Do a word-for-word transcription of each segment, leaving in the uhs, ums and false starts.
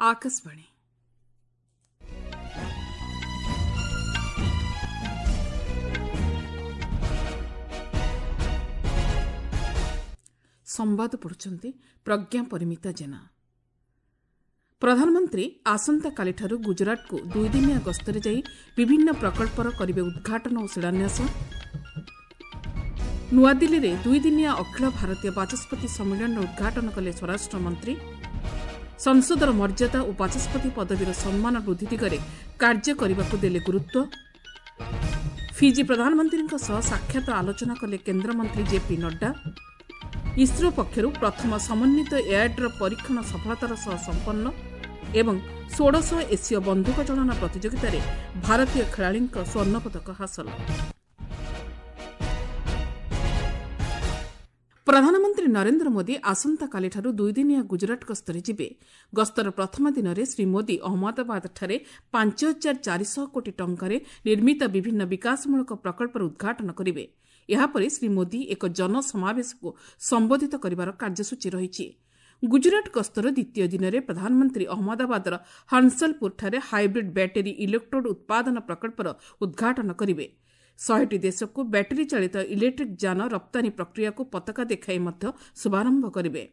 ଆକାଶବାଣୀ। ସମ୍ବାଦ ପଢ଼ୁଛନ୍ତି ପ୍ରଜ୍ଞା ପରିମିତା ଜେନା। ପ୍ରଧାନମନ୍ତ୍ରୀ ଆସନ୍ତାକାଲିଠାରୁ ଗୁଜରାଟକୁ ଦୁଇଦିନିଆ ଗସ୍ତରେ ଯାଇ ବିଭିନ୍ନ ପ୍ରକଳ୍ପର କରିବେ ଉଦ୍ଘାଟନ ଓ ଶିଳାନ୍ୟାସ। ନୂଆଦିଲ୍ଲୀରେ ଦୁଇଦିନିଆ ଅଖିଳ ଭାରତୀୟ ବାଚସ୍ପତି ସମ୍ମିଳନୀର ଉଦ୍ଘାଟନ କଲେ ସ୍ୱରାଷ୍ଟ୍ର ମନ୍ତ୍ରୀ। ସଂସଦର ମର୍ଯ୍ୟାଦା ଓ ବାଚସ୍ପତି ପଦବୀର ସମ୍ମାନ ବୃଦ୍ଧି ଦିଗରେ କାର୍ଯ୍ୟ କରିବାକୁ ଦେଲେ ଗୁରୁତ୍ୱ। ଫିଜି ପ୍ରଧାନମନ୍ତ୍ରୀଙ୍କ ସହ ସାକ୍ଷାତ ଆଲୋଚନା କଲେ କେନ୍ଦ୍ରମନ୍ତ୍ରୀ ଜେପି ନଡ୍ଡା। ଇସ୍ରୋ ପକ୍ଷରୁ ପ୍ରଥମ ସମନ୍ୱିତ ଏୟାରଡ୍ରପ୍ ପରୀକ୍ଷଣ ସଫଳତାର ସହ ସମ୍ପନ୍ନ ଏବଂ ଷୋଡ଼ଶ ଏସୀୟ ବନ୍ଧୁକ ଚାଳନା ପ୍ରତିଯୋଗିତାରେ ଭାରତୀୟ ଖେଳାଳିଙ୍କ ସ୍ୱର୍ଣ୍ଣପଦକ ହାସଲ। ପ୍ରଧାନମନ୍ତ୍ରୀ ନରେନ୍ଦ୍ର ମୋଦି ଆସନ୍ତାକାଲିଠାରୁ ଦୁଇଦିନିଆ ଗୁଜରାଟ ଗସ୍ତରେ ଯିବେ। ଗସ୍ତର ପ୍ରଥମ ଦିନରେ ଶ୍ରୀ ମୋଦି ଅହମ୍ମଦାବାଦଠାରେ ପାଞ୍ଚ ହଜାର ଚାରିଶହ କୋଟି ଟଙ୍କାରେ ନିର୍ମିତ ବିଭିନ୍ନ ବିକାଶମୂଳକ ପ୍ରକଳ୍ପର ଉଦ୍ଘାଟନ କରିବେ। ଏହାପରେ ଶ୍ରୀ ମୋଦି ଏକ ଜନସମାବେଶକୁ ସମ୍ବୋଧିତ କରିବାର କାର୍ଯ୍ୟସୂଚୀ ରହିଛି। ଗୁଜରାଟ ଗସ୍ତର ଦ୍ୱିତୀୟ ଦିନରେ ପ୍ରଧାନମନ୍ତ୍ରୀ ଅହମ୍ମଦାବାଦର ହଂସଲପୁରଠାରେ ହାଇବ୍ରିଡ୍ ବ୍ୟାଟେରୀ ଇଲେକ୍ଟ୍ରୋଡ୍ ଉତ୍ପାଦନ ପ୍ରକଳ୍ପର ଉଦ୍ଘାଟନ କରିବେ। ଶହେଟି ଦେଶକୁ ବ୍ୟାଟେରୀ ଚାଳିତ ଇଲେକ୍ଟ୍ରିକ୍ ଯାନ ରପ୍ତାନୀ ପ୍ରକ୍ରିୟାକୁ ପତାକା ଦେଖାଇ ମଧ୍ୟ ଶୁଭାରମ୍ଭ କରିବେ।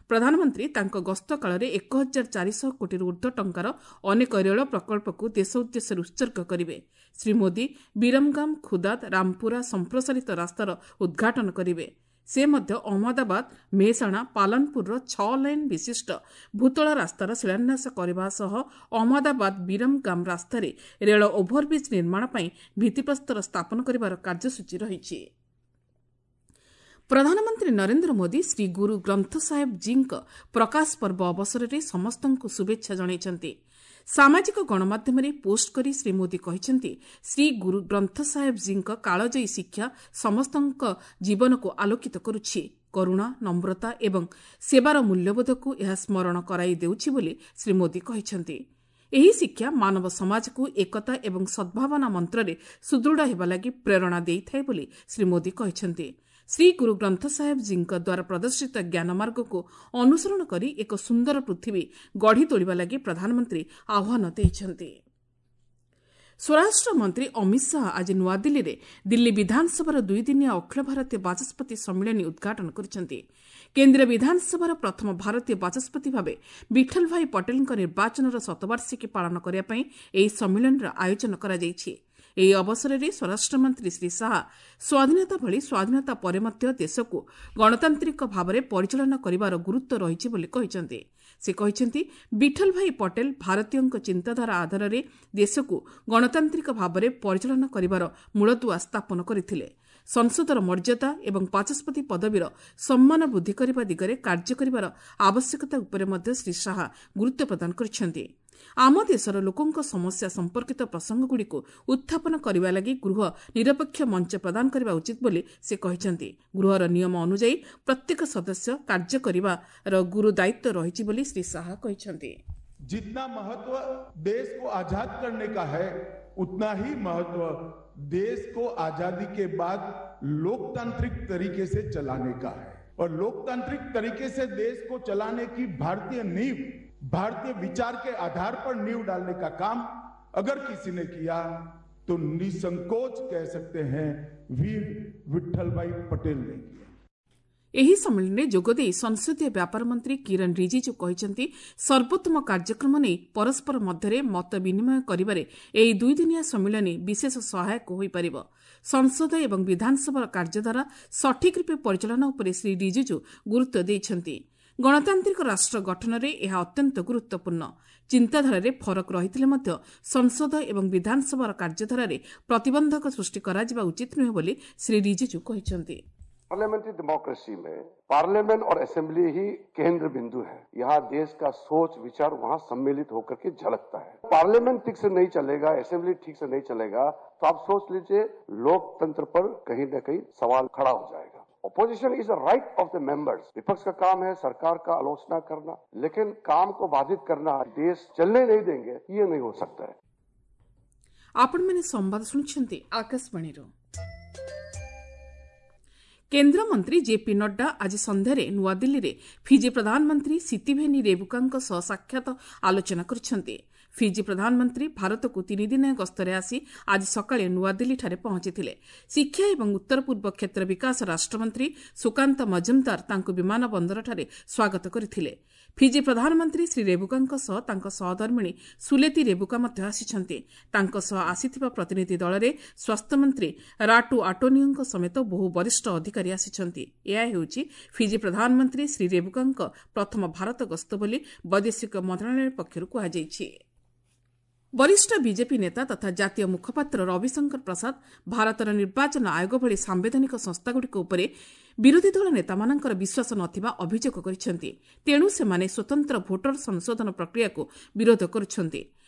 ପ୍ରଧାନମନ୍ତ୍ରୀ ତାଙ୍କ ଗସ୍ତ କାଳରେ ଏକ ହଜାର ଚାରିଶହ କୋଟିରୁ ଊର୍ଦ୍ଧ୍ୱ ଟଙ୍କାର ଅନେକ ରେଳ ପ୍ରକଳ୍ପକୁ ଦେଶ ଉଦ୍ଦେଶ୍ୟରେ ଉତ୍ସର୍ଗ କରିବେ। ଶ୍ରୀ ମୋଦି ବିରମଗାମ ଖୁଦାଦ ରାମପୁରା ସମ୍ପ୍ରସାରିତ ରାସ୍ତାର ଉଦ୍ଘାଟନ କରିବେ। ସେ ମଧ୍ୟ ଅହମ୍ମଦାବାଦ ମେହସାଣା ପାଲନପୁରର ଛଅ ଲାଇନ୍ ବିଶିଷ୍ଟ ଭୂତଳ ରାସ୍ତାର ଶିଳାନ୍ୟାସ କରିବା ସହ ଅହମ୍ମଦାବାଦ ବିରମଗାମ ରାସ୍ତାରେ ରେଳ ଓଭରବ୍ରିଜ୍ ନିର୍ମାଣ ପାଇଁ ଭିତ୍ତିପ୍ରସ୍ତର ସ୍ଥାପନ କରିବାର କାର୍ଯ୍ୟସୂଚୀ ରହିଛି। ପ୍ରଧାନମନ୍ତ୍ରୀ ନରେନ୍ଦ୍ର ମୋଦି ଶ୍ରୀ ଗୁରୁ ଗ୍ରନ୍ଥ ସାହେବ ଜୀଙ୍କ ପ୍ରକାଶ ପର୍ବ ଅବସରରେ ସମସ୍ତଙ୍କୁ ଶୁଭେଚ୍ଛା ଜଣାଇଛନ୍ତି। ସାମାଜିକ ଗଣମାଧ୍ୟମରେ ପୋଷ୍ଟ କରି ଶ୍ରୀ ମୋଦି କହିଛନ୍ତି, ଶ୍ରୀ ଗୁରୁ ଗ୍ରନ୍ଥ ସାହେବ ଜୀଙ୍କ କାଳଜୟୀ ଶିକ୍ଷା ସମସ୍ତଙ୍କ ଜୀବନକୁ ଆଲୋକିତ କରୁଛି। କରୁଣା, ନମ୍ରତା ଏବଂ ସେବାର ମୂଲ୍ୟବୋଧକୁ ଏହା ସ୍ମରଣ କରାଇ ଦେଉଛି ବୋଲି ଶ୍ରୀ ମୋଦି କହିଛନ୍ତି। ଏହି ଶିକ୍ଷା ମାନବ ସମାଜକୁ ଏକତା ଏବଂ ସଦ୍ଭାବନା ମନ୍ତ୍ରରେ ସୁଦୃଢ଼ ହେବା ଲାଗି ପ୍ରେରଣା ଦେଇଥାଏ ବୋଲି ଶ୍ରୀ ମୋଦି କହିଛନ୍ତି। ଶ୍ରୀ ଗୁରୁ ଗ୍ରନ୍ଥ ସାହେବ ଜୀଙ୍କ ଦ୍ୱାରା ପ୍ରଦର୍ଶିତ ଜ୍ଞାନମାର୍ଗକୁ ଅନୁସରଣ କରି ଏକ ସୁନ୍ଦର ପୃଥିବୀ ଗଢ଼ି ତୋଳିବା ଲାଗି ପ୍ରଧାନମନ୍ତ୍ରୀ ଆହ୍ୱାନ ଦେଇଛନ୍ତି। ସ୍ୱରାଷ୍ଟ୍ର ମନ୍ତ୍ରୀ ଅମିତ ଶାହା ଆଜି ନୂଆଦିଲ୍ଲୀରେ ଦିଲ୍ଲୀ ବିଧାନସଭାର ଦୁଇଦିନିଆ ଅଖିଳ ଭାରତୀୟ ବାଚସ୍ପତି ସମ୍ମିଳନୀ ଉଦ୍ଘାଟନ କରିଛନ୍ତି। କେନ୍ଦ୍ରୀୟ ବିଧାନସଭାର ପ୍ରଥମ ଭାରତୀୟ ବାଚସ୍ପତି ଭାବେ ବିଠଲଭାଇ ପଟେଲଙ୍କ ନିର୍ବାଚନର ଶତବାର୍ଷିକୀ ପାଳନ କରିବା ପାଇଁ ଏହି ସମ୍ମିଳନୀର ଆୟୋଜନ କରାଯାଇଛି। ଏହି ଅବସରରେ ସ୍ୱରାଷ୍ଟ୍ରମନ୍ତ୍ରୀ ଶ୍ରୀ ଶାହା ସ୍ୱାଧୀନତା ଭଳି ସ୍ୱାଧୀନତା ପରେ ମଧ୍ୟ ଦେଶକୁ ଗଣତାନ୍ତ୍ରିକ ଭାବରେ ପରିଚାଳନା କରିବାର ଗୁରୁତ୍ୱ ରହିଛି ବୋଲି କହିଛନ୍ତି। ସେ କହିଛନ୍ତି, ବିଠଲଭାଇ ପଟେଲ ଭାରତୀୟଙ୍କ ଚିନ୍ତାଧାରା ଆଧାରରେ ଦେଶକୁ ଗଣତାନ୍ତ୍ରିକ ଭାବରେ ପରିଚାଳନା କରିବାର ମୂଳଦୁଆ ସ୍ଥାପନ କରିଥିଲେ। ସଂସଦର ମର୍ଯ୍ୟାଦା ଏବଂ ବାଚସ୍ପତି ପଦବୀର ସମ୍ମାନ ବୃଦ୍ଧି କରିବା ଦିଗରେ କାର୍ଯ୍ୟ କରିବାର ଆବଶ୍ୟକତା ଉପରେ ମଧ୍ୟ ଶ୍ରୀ ଶାହା ଗୁରୁତ୍ୱ ପ୍ରଦାନ କରିଛନ୍ତି। ଆମ ଦେଶର ଲୋକଙ୍କ ସମସ୍ୟା ସମ୍ପର୍କିତ ପ୍ରସଙ୍ଗଗୁଡ଼ିକୁ ଉତ୍ଥାପନ କରିବା ଲାଗି ଗୃହ ନିରପେକ୍ଷ ମଞ୍ଚ ପ୍ରଦାନ କରିବା ଉଚିତ ବୋଲି ସେ କହିଛନ୍ତି। ଗୃହର ନିୟମ ଅନୁଯାୟୀ ପ୍ରତ୍ୟେକ ସଦସ୍ୟ କାର୍ଯ୍ୟ କରିବାର ଗୁରୁ ଦାୟିତ୍ୱ ରହିଛି ବୋଲି ଶ୍ରୀ ଶାହା କହିଛନ୍ତି। जितना महत्व देश को आजाद करने का है, उतना ही महत्व देश को आजादी के बाद लोकतांत्रिक तरीके से चलाने का है। और लोकतांत्रिक तरीके से देश को चलाने की भारतीय नींव, भारतीय विचार के आधार पर नींव डालने का काम अगर किसी ने किया तो निसंकोच कह सकते हैं वीर विठल भाई पटेल ने किया। ଏହି ସମ୍ମିଳନୀରେ ଯୋଗଦେଇ ସଂସଦୀୟ ବ୍ୟାପାର ମନ୍ତ୍ରୀ କିରଣ ରିଜିଜୁ କହିଛନ୍ତି, ସର୍ବୋତ୍ତମ କାର୍ଯ୍ୟକ୍ରମ ନେଇ ପରସ୍ପର ମଧ୍ୟରେ ମତ ବିନିମୟ କରିବାରେ ଏହି ଦୁଇଦିନିଆ ସମ୍ମିଳନୀ ବିଶେଷ ସହାୟକ ହୋଇପାରିବ। ସଂସଦ ଏବଂ ବିଧାନସଭାର କାର୍ଯ୍ୟଧାରା ସଠିକ୍ ରୂପେ ପରିଚାଳନା ଉପରେ ଶ୍ରୀ ରିଜିଜୁ ଗୁରୁତ୍ୱ ଦେଇଛନ୍ତି। ଗଣତାନ୍ତ୍ରିକ ରାଷ୍ଟ୍ର ଗଠନରେ ଏହା ଅତ୍ୟନ୍ତ ଗୁରୁତ୍ୱପୂର୍ଣ୍ଣ। ଚିନ୍ତାଧାରାରେ ଫରକ ରହିଥିଲେ ମଧ୍ୟ ସଂସଦ ଏବଂ ବିଧାନସଭାର କାର୍ଯ୍ୟଧାରାରେ ପ୍ରତିବନ୍ଧକ ସୃଷ୍ଟି କରାଯିବା ଉଚିତ ନୁହେଁ ବୋଲି ଶ୍ରୀ ରିଜିଜୁ କହିଛନ୍ତି। पार्लियामेंट्री डेमोक्रेसी में पार्लियामेंट और असेंबली ही केंद्र बिंदु है। यहाँ देश का सोच विचार वहाँ सम्मिलित होकर के झलकता है। पार्लियामेंट ठीक से नहीं चलेगा, असेंबली ठीक से नहीं चलेगा तो आप सोच लीजिए लोकतंत्र पर कहीं न कहीं सवाल खड़ा हो जाएगा। Opposition is a right of the members. विपक्ष का काम है सरकार का आलोचना करना, लेकिन काम को बाधित करना, देश चलने नहीं देंगे, ये नहीं हो सकता है। ଆପଣମାନେ ସମ୍ବାଦ ଶୁଣୁଛନ୍ତି ଆକାଶବାଣୀରୁ। କେନ୍ଦ୍ରମନ୍ତ୍ରୀ ଜେପି ନଡ୍ଡା ଆଜି ସନ୍ଧ୍ୟାରେ ନୂଆଦିଲ୍ଲୀରେ ଫିଜି ପ୍ରଧାନମନ୍ତ୍ରୀ ସିତିଭେନି ରେବୁକାଙ୍କ ସହ ସାକ୍ଷାତ ଆଲୋଚନା କରିଛନ୍ତି। ଫିଜି ପ୍ରଧାନମନ୍ତ୍ରୀ ଭାରତକୁ ତିନିଦିନିଆ ଗସ୍ତରେ ଆସି ଆଜି ସକାଳେ ନୂଆଦିଲ୍ଲୀଠାରେ ପହଞ୍ଚିଥିଲେ। ଶିକ୍ଷା ଏବଂ ଉତ୍ତର ପୂର୍ବ କ୍ଷେତ୍ର ବିକାଶ ରାଷ୍ଟ୍ରମନ୍ତ୍ରୀ ସୁକାନ୍ତ ମଜୁମଦାର ତାଙ୍କୁ ବିମାନ ବନ୍ଦରଠାରେ ସ୍ୱାଗତ କରିଥିଲେ। ଫିଜି ପ୍ରଧାନମନ୍ତ୍ରୀ ଶ୍ରୀ ରେବୁକାଙ୍କ ସହ ତାଙ୍କ ସହଧର୍ମିଣୀ ସୁଲେତି ରେବୁକା ମଧ୍ୟ ଆସିଛନ୍ତି। ତାଙ୍କ ସହ ଆସିଥିବା ପ୍ରତିନିଧି ଦଳରେ ସ୍ୱାସ୍ଥ୍ୟମନ୍ତ୍ରୀ ରାଟୁ ଆଟୋନିଓଙ୍କ ସମେତ ବହୁ ବରିଷ୍ଠ ଅଧିକାରୀ ଆସିଛନ୍ତି। ଏହା ହେଉଛି ଫିଜି ପ୍ରଧାନମନ୍ତ୍ରୀ ଶ୍ରୀ ରେବୁକାଙ୍କ ପ୍ରଥମ ଭାରତ ଗସ୍ତ ବୋଲି ବୈଦେଶିକ ମନ୍ତ୍ରଣାଳୟ ପକ୍ଷରୁ କୁହାଯାଇଛି। ବରିଷ୍ଠ ବିଜେପି ନେତା ତଥା ଜାତୀୟ ମୁଖପାତ୍ର ରବିଶଙ୍କର ପ୍ରସାଦ ଭାରତର ନିର୍ବାଚନ ଆୟୋଗ ଭଳି ସାମ୍ବିଧାନିକ ସଂସ୍ଥାଗୁଡ଼ିକ ଉପରେ ବିରୋଧୀ ଦଳ ନେତାମାନଙ୍କର ବିଶ୍ୱାସ ନଥିବା ଅଭିଯୋଗ କରିଛନ୍ତି। ତେଣୁ ସେମାନେ ସ୍ୱତନ୍ତ୍ର ଭୋଟର ସଂଶୋଧନ ପ୍ରକ୍ରିୟାକୁ ବିରୋଧ କରୁଛନ୍ତି।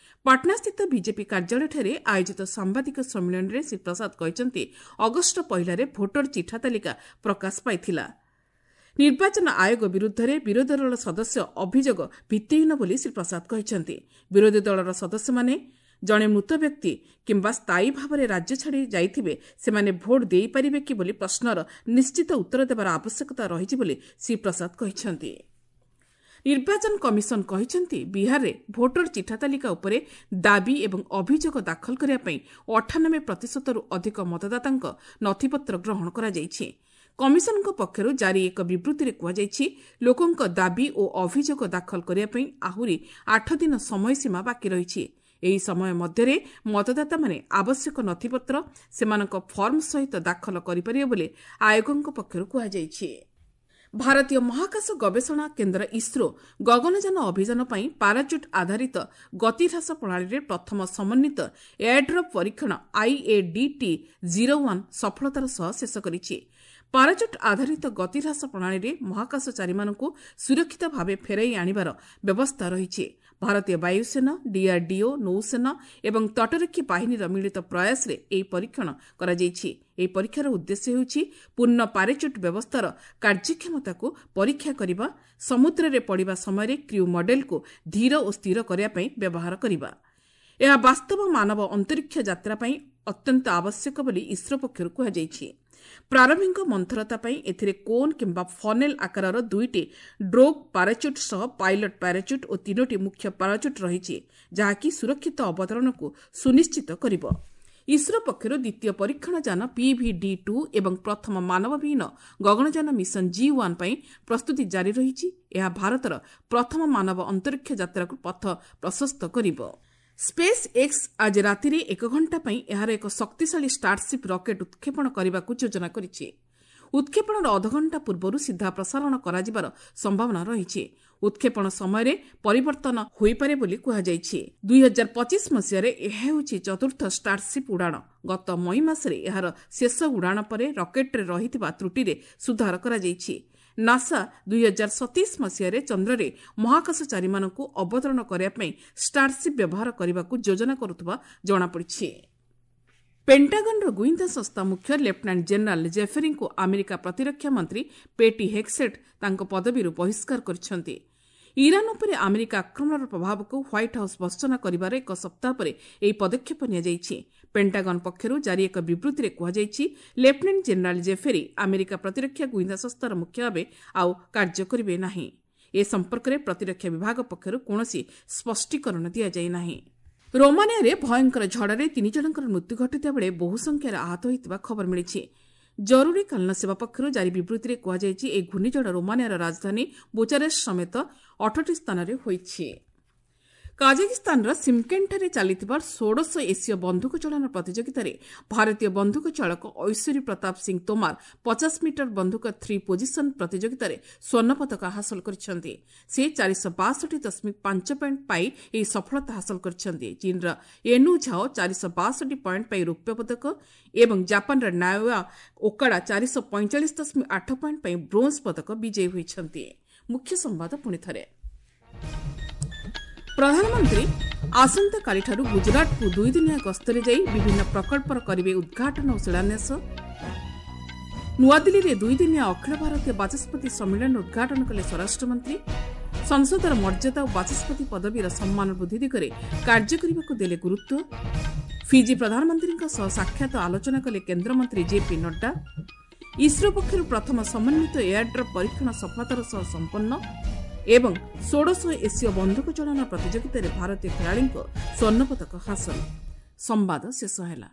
ପାଟନାସ୍ଥିତ ବିଜେପି କାର୍ଯ୍ୟାଳୟଠାରେ ଆୟୋଜିତ ସାମ୍ବାଦିକ ସମ୍ମିଳନୀରେ ଶ୍ରୀ ପ୍ରସାଦ କହିଛନ୍ତି, ଅଗଷ୍ଟ ପହିଲାରେ ଭୋଟର ଚିଠା ତାଲିକା ପ୍ରକାଶ ପାଇଥିଲା। ନିର୍ବାଚନ ଆୟୋଗ ବିରୁଦ୍ଧରେ ବିରୋଧୀ ଦଳର ସଦସ୍ୟ ଅଭିଯୋଗ ଭିତ୍ତିହୀନ ବୋଲି ଶ୍ରୀ ପ୍ରସାଦ କହିଛନ୍ତି। ବିରୋଧୀ ଦଳର ସଦସ୍ୟମାନେ ଜଣେ ମୃତ ବ୍ୟକ୍ତି କିମ୍ବା ସ୍ଥାୟୀ ଭାବରେ ରାଜ୍ୟ ଛାଡ଼ି ଯାଇଥିବେ ସେମାନେ ଭୋଟ ଦେଇପାରିବେ କି ବୋଲି ପ୍ରଶ୍ନର ନିଶ୍ଚିତ ଉତ୍ତର ଦେବାର ଆବଶ୍ୟକତା ରହିଛି ବୋଲି ଶ୍ରୀ ପ୍ରସାଦ କହିଛନ୍ତି। ନିର୍ବାଚନ କମିଶନ କହିଛନ୍ତି, ବିହାରରେ ଭୋଟର ଚିଠା ତାଲିକା ଉପରେ ଦାବି ଏବଂ ଅଭିଯୋଗ ଦାଖଲ କରିବା ପାଇଁ ଅଠାନବେ ପ୍ରତିଶତରୁ ଅଧିକ ମତଦାତାଙ୍କ ନଥିପତ୍ର ଗ୍ରହଣ କରାଯାଇଛି। କମିଶନଙ୍କ ପକ୍ଷରୁ ଜାରି ଏକ ବିବୃତ୍ତିରେ କୁହାଯାଇଛି, ଲୋକଙ୍କ ଦାବି ଓ ଅଭିଯୋଗ ଦାଖଲ କରିବା ପାଇଁ ଆହୁରି ଆଠ ଦିନ ସମୟସୀମା ବାକି ରହିଛି। ଏହି ସମୟ ମଧ୍ୟରେ ମତଦାତାମାନେ ଆବଶ୍ୟକ ନଥିପତ୍ର ସେମାନଙ୍କ ଫର୍ମ ସହିତ ଦାଖଲ କରିପାରିବେ ବୋଲି ଆୟୋଗଙ୍କ ପକ୍ଷରୁ କୁହାଯାଇଛି। ଭାରତୀୟ ମହାକାଶ ଗବେଷଣା କେନ୍ଦ୍ର ଇସ୍ରୋ ଗଗନଯାନ ଅଭିଯାନ ପାଇଁ ପାରାଚୁଟ୍ ଆଧାରିତ ଗତିହ୍ରାସ ପ୍ରଣାଳୀରେ ପ୍ରଥମ ସମନ୍ୱିତ ଏୟାରଡ୍ରପ୍ ପରୀକ୍ଷଣ ଆଇଏଡିଟି ଜିରୋ ୱାନ୍ ସଫଳତାର ସହ ଶେଷ କରିଛି। ପାରାଚୁଟ୍ ଆଧାରିତ ଗତିହ୍ରାସ ପ୍ରଣାଳୀରେ ମହାକାଶଚାରୀମାନଙ୍କୁ ସୁରକ୍ଷିତ ଭାବେ ଫେରାଇ ଆଣିବାର ବ୍ୟବସ୍ଥା ରହିଛି। ଭାରତୀୟ ବାୟୁସେନା, ଡିଆର୍ଡିଓ, ନୌସେନା ଏବଂ ତଟରକ୍ଷୀ ବାହିନୀର ମିଳିତ ପ୍ରୟାସରେ ଏହି ପରୀକ୍ଷଣ କରାଯାଇଛି। ଏହି ପରୀକ୍ଷାର ଉଦ୍ଦେଶ୍ୟ ହେଉଛି ପୂର୍ଣ୍ଣ ପାରାଚୁଟ୍ ବ୍ୟବସ୍ଥାର କାର୍ଯ୍ୟକ୍ଷମତାକୁ ପରୀକ୍ଷା କରିବା, ସମୁଦ୍ରରେ ପଡ଼ିବା ସମୟରେ କ୍ରିଉ ମଡେଲକୁ ଧୀର ଓ ସ୍ଥିର କରିବା ପାଇଁ ବ୍ୟବହାର କରିବା। ଏହା ବାସ୍ତବ ମାନବ ଅନ୍ତରୀକ୍ଷ ଯାତ୍ରା ପାଇଁ ଅତ୍ୟନ୍ତ ଆବଶ୍ୟକ ବୋଲି ଇସ୍ରୋ ପକ୍ଷରୁ କୁହାଯାଇଛି। ପ୍ରାରମ୍ଭିକ ମନ୍ଥରତା ପାଇଁ ଏଥିରେ କୋନ୍ କିମ୍ବା ଫନେଲ୍ ଆକାରର ଦୁଇଟି ଡ୍ରୋଗ୍ ପାରାଚୁଟ୍ ସହ ପାଇଲଟ୍ ପାରାଚୁଟ୍ ଓ ତିନୋଟି ମୁଖ୍ୟ ପାରାଚୁଟ୍ ରହିଛି, ଯାହାକି ସୁରକ୍ଷିତ ଅବତରଣକୁ ସୁନିଶ୍ଚିତ କରିବ। ଇସ୍ରୋ ପକ୍ଷରୁ ଦ୍ୱିତୀୟ ପରୀକ୍ଷଣ ଯାନ ପିଭିଡି ଟୁ ଏବଂ ପ୍ରଥମ ମାନବବିହୀନ ଗଗନଯାନ ମିଶନ ଜି ୱାନ୍ ପାଇଁ ପ୍ରସ୍ତୁତି ଜାରି ରହିଛି। ଏହା ଭାରତର ପ୍ରଥମ ମାନବ ଅନ୍ତରୀକ୍ଷ ଯାତ୍ରାକୁ ପଥ ପ୍ରଶସ୍ତ କରିବ। ସ୍ପେସ୍ ଏକ୍ସ ଆଜି ରାତିରେ ଏକ ଘଣ୍ଟା ପାଇଁ ଏହାର ଏକ ଶକ୍ତିଶାଳୀ ଷ୍ଟାରସିପ୍ ରକେଟ୍ ଉତ୍କ୍ଷେପଣ କରିବାକୁ ଯୋଜନା କରିଛି। ଉତ୍କ୍ଷେପଣର ଅଧଘଣ୍ଟା ପୂର୍ବରୁ ସିଧା ପ୍ରସାରଣ କରାଯିବାର ସମ୍ଭାବନା ରହିଛି। ଉତ୍କ୍ଷେପଣ ସମୟରେ ପରିବର୍ତ୍ତନ ହୋଇପାରେ ବୋଲି କୁହାଯାଇଛି। ଦୁଇ ହଜାର ପଚିଶ ମସିହାରେ ଏହା ହେଉଛି ଚତୁର୍ଥ ଷ୍ଟାରସିପ୍ ଉଡ଼ାଣ। ଗତ ମଇ ମାସରେ ଏହାର ଶେଷ ଉଡ଼ାଣ ପରେ ରକେଟ୍ରେ ରହିଥିବା ତ୍ରୁଟିରେ ସୁଧାର କରାଯାଇଛି। ନାସା ଦୁଇ ହଜାର ସତେଇଶ ମସିହାରେ ଚନ୍ଦ୍ରରେ ମହାକାଶଚାରୀମାନଙ୍କୁ ଅବତରଣ କରିବା ପାଇଁ ଷ୍ଟାରସିପ୍ ବ୍ୟବହାର କରିବାକୁ ଯୋଜନା କରୁଥିବା ଜଣାପଡ଼ିଛି। ପେଣ୍ଟାଗନର ଗୁଇନ୍ଦା ସଂସ୍ଥା ମୁଖ୍ୟ ଲେଫ୍ଟନାଣ୍ଟ ଜେନେରାଲ ଜେଫେରୀଙ୍କୁ ଆମେରିକା ପ୍ରତିରକ୍ଷା ମନ୍ତ୍ରୀ ପେଟି ହେକ୍ସେଟ୍ ତାଙ୍କ ପଦବୀରୁ ବହିଷ୍କାର କରିଛନ୍ତି। ଇରାନ୍ ଉପରେ ଆମେରିକା ଆକ୍ରମଣର ପ୍ରଭାବକୁ ହ୍ୱାଇଟ୍ ହାଉସ୍ ଭର୍ତ୍ସନା କରିବାର ଏକ ସପ୍ତାହ ପରେ ଏହି ପଦକ୍ଷେପ ନିଆଯାଇଛି। ପେଣ୍ଟାଗନ ପକ୍ଷରୁ ଜାରି ଏକ ବିବୃତ୍ତିରେ କୁହାଯାଇଛି, ଲେଫ୍ଟନାଣ୍ଟ ଜେନେରାଲ ଜେଫେରୀ ଆମେରିକା ପ୍ରତିରକ୍ଷା ଗୁଇନ୍ଦା ସଂସ୍ଥାର ମୁଖ୍ୟ ଭାବେ ଆଉ କାର୍ଯ୍ୟ କରିବେ ନାହିଁ। ଏ ସମ୍ପର୍କରେ ପ୍ରତିରକ୍ଷା ବିଭାଗ ପକ୍ଷରୁ କୌଣସି ସ୍ପଷ୍ଟୀକରଣ ଦିଆଯାଇ ନାହିଁ। ରୋମାନିଆରେ ଭୟଙ୍କର ଝଡ଼ରେ ତିନି ଜଣଙ୍କର ମୃତ୍ୟୁ ଘଟିଥିବା ବେଳେ ବହୁ ସଂଖ୍ୟାରେ ଆହତ ହୋଇଥିବା ଖବର ମିଳିଛି। ଜରୁରୀକାଳୀନ ସେବା ପକ୍ଷରୁ ଜାରି ବିବୃତ୍ତିରେ କୁହାଯାଇଛି, ଏହି ଘୂର୍ଣ୍ଣିଝଡ଼ ରୋମାନିଆର ରାଜଧାନୀ ବୁଚାରେଷ୍ଟ ସମେତ ଅଠଟି ସ୍ଥାନରେ ହୋଇଛି। କାଜାକିସ୍ତାନର ସିମକେଣ୍ଟଠାରେ ଚାଲିଥିବା ଷୋଡ଼ଶ ଏସୀୟ ବନ୍ଧୁକ ଚାଳନା ପ୍ରତିଯୋଗିତାରେ ଭାରତୀୟ ବନ୍ଧୁକ ଚାଳକ ଐଶ୍ୱରୀ ପ୍ରତାପ ସିଂ ତୋମାର ପଚାଶ ମିଟର ବନ୍ଧୁକ ଥ୍ରୀ ପୋଜିସନ୍ ପ୍ରତିଯୋଗିତାରେ ସ୍ୱର୍ଣ୍ଣ ପଦକ ହାସଲ କରିଛନ୍ତି। ସେ ଚାରିଶହ ବାଷଠି ଦଶମିକ ପାଞ୍ଚ ପଏଣ୍ଟ ପାଇ ଏହି ସଫଳତା ହାସଲ କରିଛନ୍ତି। ଚୀନର ଏନୁ ଝାଓ ଚାରିଶହ ବାଷଠି ପଏଣ୍ଟ ପାଇ ରୌପ୍ୟ ପଦକ ଏବଂ ଜାପାନର ନାଓୟା ଓକାଡା ଚାରିଶହ ପଇଁଚାଳିଶ ଦଶମିକ ଆଠ ପଏଣ୍ଟ ପାଇ ବ୍ରୋଞ୍ଜ ପଦକ ବିଜୟୀ ହୋଇଛନ୍ତି। ମୁଖ୍ୟ ସମ୍ବାଦ ପୁଣି ଥରେ। ପ୍ରଧାନମନ୍ତ୍ରୀ ଆସନ୍ତାକାଲିଠାରୁ ଗୁଜରାଟକୁ ଦୁଇଦିନିଆ ଗସ୍ତରେ ଯାଇ ବିଭିନ୍ନ ପ୍ରକଳ୍ପର କରିବେ ଉଦ୍ଘାଟନ ଓ ଶିଳାନ୍ୟାସ। ନୂଆଦିଲ୍ଲୀରେ ଦୁଇଦିନିଆ ଅଖିଳ ଭାରତୀୟ ବାଚସ୍ପତି ସମ୍ମିଳନୀ ଉଦ୍ଘାଟନ କଲେ ସ୍ୱରାଷ୍ଟ୍ରମନ୍ତ୍ରୀ। ସଂସଦର ମର୍ଯ୍ୟାଦା ଓ ବାଚସ୍ପତି ପଦବୀର ସମ୍ମାନ ବୃଦ୍ଧି ଦିଗରେ କାର୍ଯ୍ୟ କରିବାକୁ ଦେଲେ ଗୁରୁତ୍ୱ। ଫିଜି ପ୍ରଧାନମନ୍ତ୍ରୀଙ୍କ ସହ ସାକ୍ଷାତ ଆଲୋଚନା କଲେ କେନ୍ଦ୍ରମନ୍ତ୍ରୀ ଜେପି ନଡ୍ଡା। ଇସ୍ରୋ ପକ୍ଷରୁ ପ୍ରଥମ ସମନ୍ୱିତ ଏୟାରଡ୍ରପ୍ ପରୀକ୍ଷଣ ସଫଳତାର ସହ ସମ୍ପନ୍ନ ଏବଂ ଷୋଡ଼ଶ ଏସୀୟ ବନ୍ଧୁକ ଚାଳନା ପ୍ରତିଯୋଗିତାରେ ଭାରତୀୟ ଖେଳାଳିଙ୍କ ସ୍ୱର୍ଣ୍ଣପଦକ ହାସଲ। ସମ୍ବାଦ ଶେଷ ହେଲା।